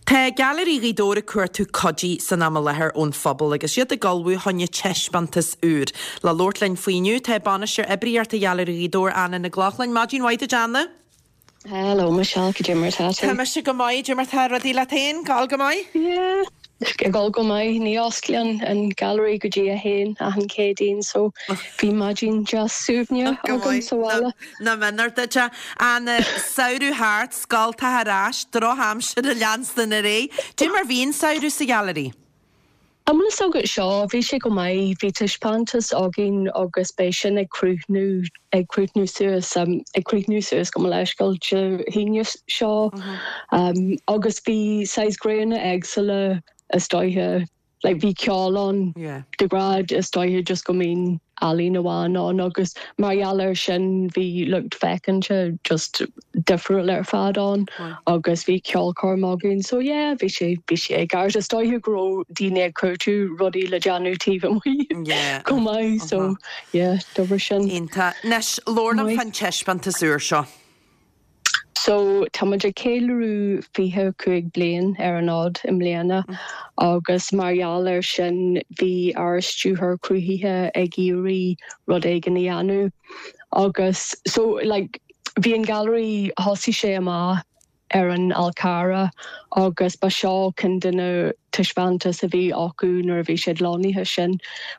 Tá Gailearaí Ghaoth Dobhair ag cuartú cuidí san am i láthair ón phobal agus iad ag ullmhú choinne taispeántas úr. Le labhairt linn faoi inniu tá Bainisteoir Oibríochta Ghailearaí Ghaoth Dobhair, Anna Nic Lochlainn. Maidin mhaith duit Anna. Hello Michelle, cad é mar atá tú? Tá mise go maith, cad é mar atá rudaí leat féin? Gabháil go maith? Yeah, ag dul go maith. Ní osclaíonn an Gallery go dtí a haon achan Céadaoin so bhí maidin deas suaimhneach agam sa bhaile. Nach méanar duit é. An samhradh thart, scoltacha ar ais, drochaimsir ag leanstan ar aghaidh. Cad é mar bhí an samhradh sa Ghailearaí? An bhfuil fhios agat seo, bhí sé go maith, bhí taispeántas againn agus beidh sin ag críochnú, ag críochnú suas, ag críochnú suas gabh mo leithscéal Dé hAoine seo agus bhí saghas gréine éagsúla is dóiche, like bhí ceol ann de ghnáth is dóiche just go mbíonn ealaín amháin ann agus mar gheall air sin bhí lucht féachanta just difriúil ar fad ann agus bhí ceolchoirm againn so yeah bhí sé bhí sé i gceart. Is dóiche go raibh daoine ag cuartú rudaí le déanamh taobh amuigh chomh maith so yeah d'oibrigh sin. Iontach. Anois, labhair liom fán taispeántas úr seo. So, tá muid ag ceiliúradh 25 bliain ar an fhód i mbliana agus mar gheall air sin bhí ár stiúrthóir cruthaithe ag iarraidh rud éigin a dhéanamh agus so like bhí an Gailearaí, thosaigh sé amach ar an Fhál Carrach agus ba seo ceann de na taispeántais a bhí acu nuair a bhí siad lonnaithe sin.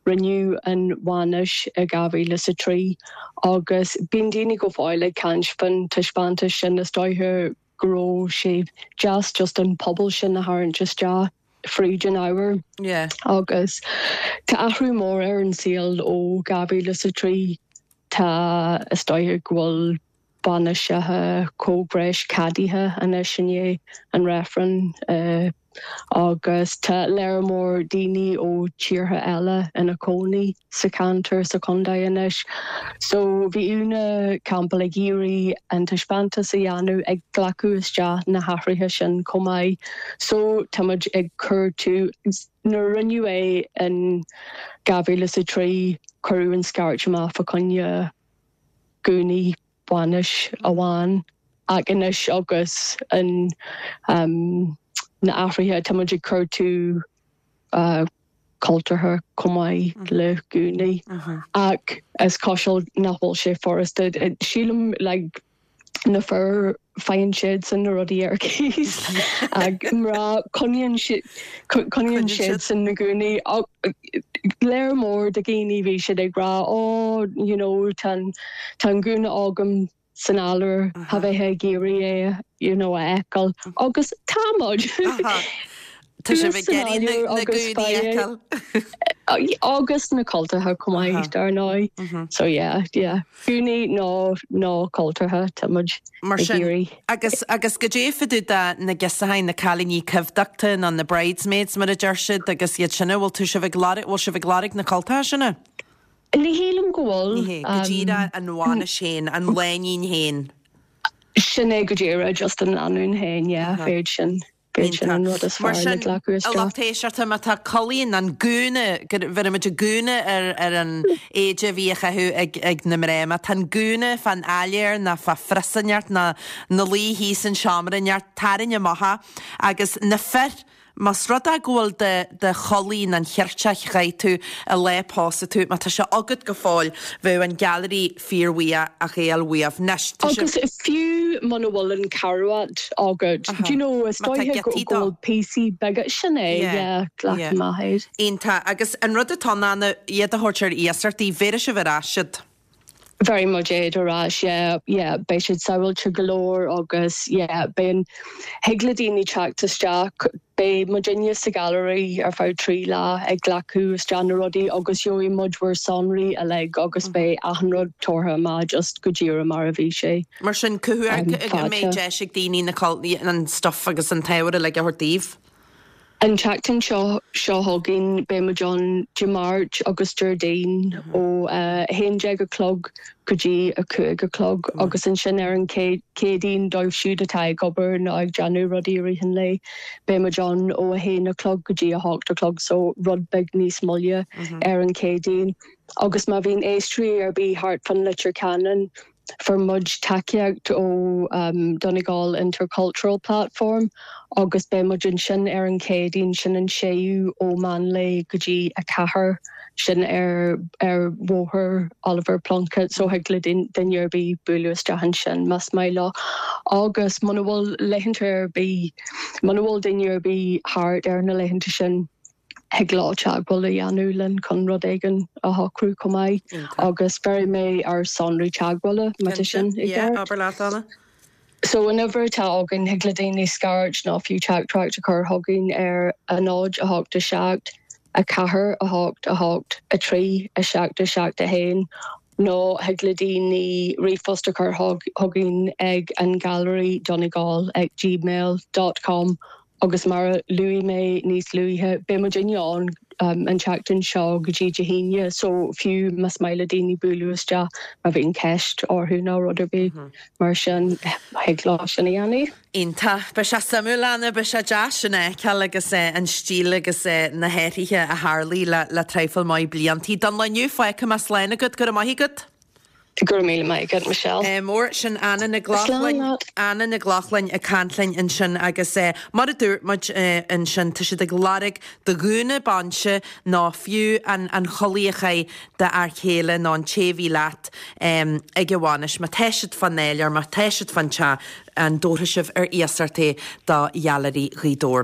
Rinneadh an bhainis i 2003 agus bíonn daoine go fóill ag caint fán taispeántas sin. Is dóiche go raibh sé deas just an pobal sin a tharraingt isteach fríd an ábhar. Agus tá athrú mór ar an saol ó 2003. Tá, is dóiche go bhfuil bainiseacha comhghnéis ceadaithe anois i ndiaidh an reifrinn agus tá léar mór daoine ó tíortha eile ina cónaí sa cheantar sa chontae anois. So bhí Úna Campbell ag iarraidh an taispeántas a dhéanamh ag glacadh isteach na hathruithe sin chomh maith. So tá muid ag cuartú, nuair a rinneadh é in 2003 cuireadh an scairt amach fá choinne gúnaí bainis amháin ach anois agus an na athruithe tá muid ag cuartú cultúrtha chomh maith le gúnaí ach is cosúil nach bhfuil sé furasta. Sílim like na fir faigheann siadsan na rudaí ar cíos ach mná coinníonn coinníonn siadsan na gúnaí léar mór de dhaoine bhí siad ag rá oh you know tá an tá an gúna agam san áiléar tá bheith ag iarraidh é you know a fheiceáil agus tá muid. Tá sibh ag iarraidh na gúnaí a fheiceáil. Agus na cultacha chomh maith, dar ndóigh. So yeah, yeah. Gúnaí nó nó cultacha, tá muid Mar ag sin, iarraidh. agus agus goidé fá dtaobh de na girseachaí, na cailíní coimhdeachta nó na bridesmaids mar a deir siad agus iad sin, an bhfuil tú sibh ag lorg, bhfuil sibh ag lorg na cultacha sin? Ní shílim go bhfuil. Ní hé, go díreach an bhainis féin, an lánúin féin. Sin é go díreach, just an lánúin féin, yeah, b'fhéidir sin. B'fhéidir sin an rud is Mar fearr le sin, glacadh a isteach. lucht éisteachta, má tá culaith nó an gúna, bheirimid an gúna ar ar an éide a bhí á chaitheamh ag ag na mná, má tá an gúna fán áiléar nó fá phrios inteacht nó ina luí thíos in seomra inteacht, tarraing amach é. Agus na fir, más rud é go bhfuil do do chulaith nó an cheirteach a chaith tú an lá a pósadh tú, má tá sé agat go fóill, bheadh an Gailearaí fíorbhuíoch ach é a fháil uaibh. Anois, tá sibh. Agus fiú muna bhfuil an carbhat agat, do you know, is Má tá dóiche go giotaí go dó. bhfuil píosaí beaga, sin é, Yeah, yeah, glac yeah. amach iad. Iontach. Agus an rud atá ann ná iad a thabhairt ar iasacht daoibh, bhéarfaidh sibh ar ais iad. Bhéarfaidh muid iad ar ais, yeah, yeah, beidh siad sábháilte go leor agus yeah, beidh an, thig le daoine teacht isteach, beidh muidinne sa Ghailearaí ar feadh 3 lá ag glacadh isteach na rudaí agus gheobhaidh muid bhur sonraí uilig agus beidh achan rud tabhartha amach just go díreach mar a bhí sé. Mar sin, cá huair a mbeidh deis ag daoine na, an stuff agus an t-ábhar uilig a thabhairt daoibh? An tseachtain seo seo chugainn beidh muid ann Dé Máirt agus Déardaoin ó 11 a chlog go dtí 5 a chlog agus ansin ar an Chéadaoin dóibh siúd atá ag obair nó ag déanamh rudaí i rith an lae beidh muid ann ó 1 a chlog go dtí 8 a chlog so rud beag níos moille ar an Chéadaoin. Agus má bhíonn éisteoirí ar bith thart fán Leitir Ceanainn. Fuair muid tacaíocht ó Donegal Intercultural Platform agus beidh muid ansin ar an Chéadaoin, sin an 6ú ó meán lae go dtí 4, sin ar ar Bhóthar Oliver Plunkett so thig le duine ar bith bualadh isteach ansin más maith leo. Agus muna bhfuil laethanta ar bith, muna bhfuil duine ar bith thart ar na laethanta sin, thig leo teagmháil a dhéanamh linn chun rud éigin a shocrú chomh maith agus bhéarfaidh mé ár sonraí teagmhála má tá sin i gceart. Yeah, abair leat, Anna. So an uimhir atá againn, thig le daoine scairt nó fiú teachtaireacht a chur chugainn ar 0 8 7 4 8 8 3 7 7 1 nó thig le daoine ríomhphost a chur chugainn ag an Gailearaí Donegal ag gmail dot com Agus mar a luaigh mé níos luaithe, beidh muidinne ann an tseachtain seo go dtí Dé hAoine, so fiú más maith le daoine bualadh isteach má bhíonn ceist orthu nó rud ar bith mar sin, thig leo sin a dhéanamh. Iontach. Beidh sé suimiúil, Anna, beidh sé deas sin a fheiceáil agus an stíl agus na hathruithe a tharlaigh le traidhfil maith bliantaí. Don lá inniu, fágfaidh mé slán agat, go raibh maith agat. Go raibh míle maith agat, Michelle. Mór, sin Anna Nic Lochlainn, Anna Nic Lochlainn ag caint linn ansin agus mar a dúirt muid ansin, tá siad ag lorg do ghúna bainse nó fiú an an chulaith a chaith d'fhear céile nó an té a bhí leat ag an bhainis. Má tá siad fán áiléar, má tá siad fán teach, an dtabharfaidh sibh ar iasacht é do Ghailearaí Ghaoth Dobhair?